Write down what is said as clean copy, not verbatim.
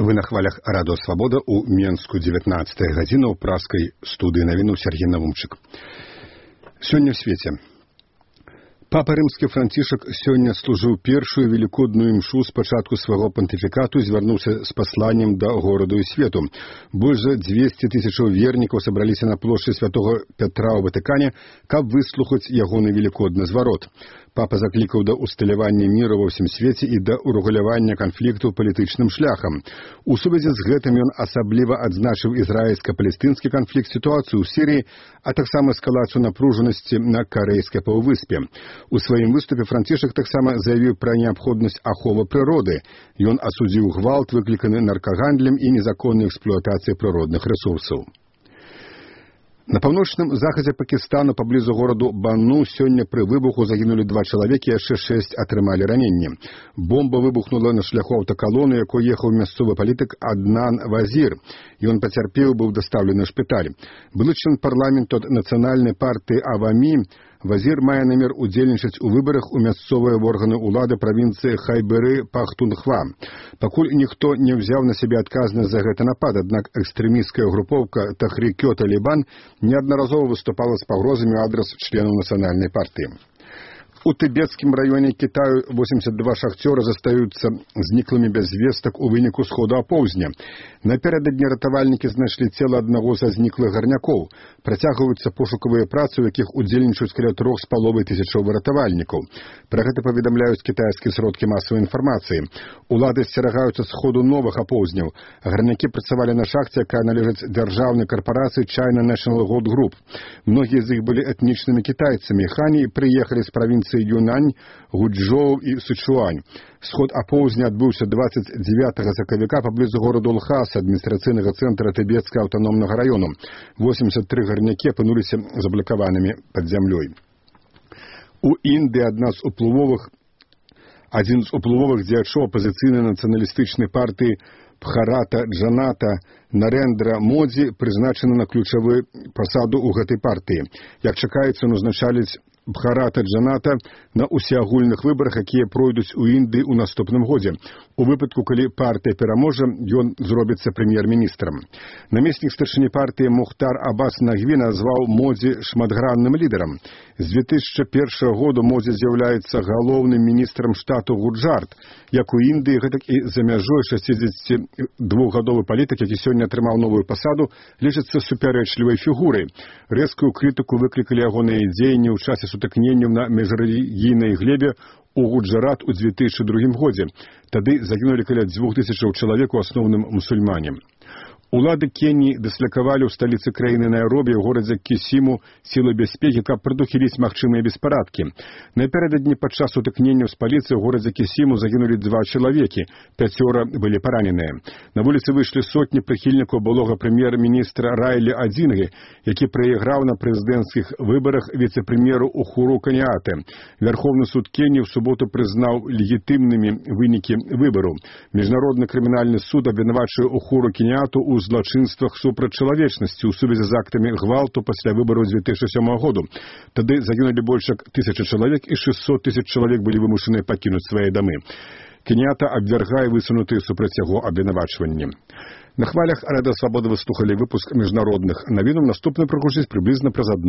Вы на хвалях Радио Свобода у Менску 19 гадзіна ў праскай студыі навіну Сергей Навумчык. Сёння в свеце. Папа рымскі Францішак сёння служыў першую велікодную імшу з пачатку свайго пантыфікату і звярнуўся з пасланнем да гораду і свету. Больш за 200 тысячаў вернікаў сабраліся на плошчы святого Пятра ў Ватыкане, каб выслухаць ягоны велікодны зварот. Папа заклікаў да усталявання міру ва ўсім свеце і да урэгулявання канфлікту палітычным шляхам. У сувязі з гэтым ён асабліва адзначыў ізраільска-палестынскі канфлікт, сітуацыю ў Сірыі, а таксама эскалацыю напружанасці на Карэйскай паўвыспе. У сваім выступе Францішак таксама заявіў пра неабходнасць аховы прыроды. Ён асудзіў гвалт, выкліканы наркагандлем і незаконнай эксплуатацыяй прыродных рэсурсаў. На паўночным захадзе Пакістану паблізу гораду Бану сёння пры выбуху загінулі 2 чалавекі, яшчэ 6 атрымалі раненні. Бомба выбухнула на шляху аўтакалоны, якой ехаў мясцовы палітык Аднан Вазір. Ён пацярпеў, быў дастаўлены ў шпіталь. Былы член парламенту ад нацыянальнай партыі Авамі Вазір мае намер удзельнічаць у выбарах у мясцовыя органы ўлады правінцыі Хайберы-Пахтунхва. Пакуль ніхто не ўзяў на сябе адказнасць за гэты напад, аднак экстрэмісцкая групоўка Тахрікё-Талібан неаднаразова выступала з пагрозамі ў адрас членаў нацыянальнай партыі. У тыбецкім раёне Кітаю 82 шахцёра застаюцца зніклымі без звестак у выніку сходу апоўзня. Напярэдадні ратавальнікі знайшлі цела аднаго са зніклых гарнякоў. Працягваюцца пошукавыя працы, у якіх удзельнічаюць каля 3500 ратавальнікаў. Пра гэта паведамляюць кітайскія сродкі масавай інфармацыі. Улады асцерагаюцца сходу новых апоўзняў. Гарнякі працавалі на шахце, якая належыць дзяржаўнай карпорацыі China National Gold Group. Многія з іх былі этнічнымі кітайцамі. Хані прыехалі з правінцыі Юнань, Гуджоу і Сычуань. Сход апоўзня адбыўся 29 сакавіка паблізу гораду Лхаса, адміністрацыйнага цэнтра Тыбецкага аўтаномнага раёну. 83 гарнякі апынуліся заблакаванымі пад зямлёй. У Індыі адзін з уплывовых дзеячоў апазіцыйнай нацыяналістычнай партыі Бхарата Джаната Нарендра Модзі прызначаны на ключавую пасаду ў гэтай партыі. Як чакаецца, ён узначаліць Бхарата Джаната на усеагульных выбарах, якія пройдуць у Індыі ў наступным годзе. У выпадку, калі партыя пераможа, ён зробіцца прэм'ер-міністрам. Намеснік старшыні партыі Мухтар Аббас Нагві назваў Модзі шматгранным лідарам. З 2001 года Модзі з'яўляецца галоўным міністрам штату Гуджарат. Як у Індыі, гэтак і за мяжой 62-гадовы палітык, які сёння атрымаў новую пасаду, лічыцца супярэчлівай фігурай. Рэзкую крытыку выклікалі ягоныя дзеянні ў часе сутыкненняў на міжрэлігійнай глебе у Гуджарат у 2002 годзе. Тады загінулі каля 2000 чалавек, у асноўным мусульмане. Улады Кеніі дыслакавалі ў сталіцы краіны Найробі ў горадзе Кісіму сілы бяспекі, каб прадухіліць магчымыя беспарадкі. Напярэдадні падчас сутыкненняў з паліцыяй у горадзе Кісіму загінулі 2 чалавекі, 5 былі параненыя. На вуліцы выйшлі сотні прыхільнікаў былога прэм'ер-міністра Райлі Адзінгі, які прайграў на прэзідэнцкіх выбарах віцэ-прэм'еру Ухуру Кеніяты. Вярхоўны суд Кеніі ў суботу прызнаў легітымнымі вынікі выбару. Міжнародны крымінальны суд абвінавачвае Ухуру Кеніяту у злачынствах супраць чалавечнасці ў сувязі з актамі гвалту пасля выбараў 2007 году. Тады загінулі больш як 1000 чалавек і 600 000 чалавек былі вымушаныя пакінуць свае дамы. Кеніята абвяргае высунутыя супраць яго абвінавачванні. На хвалях Радыё Свабода вы слухалі выпуск міжнародных навінаў. Наступны прагучыць прыблізна праз 1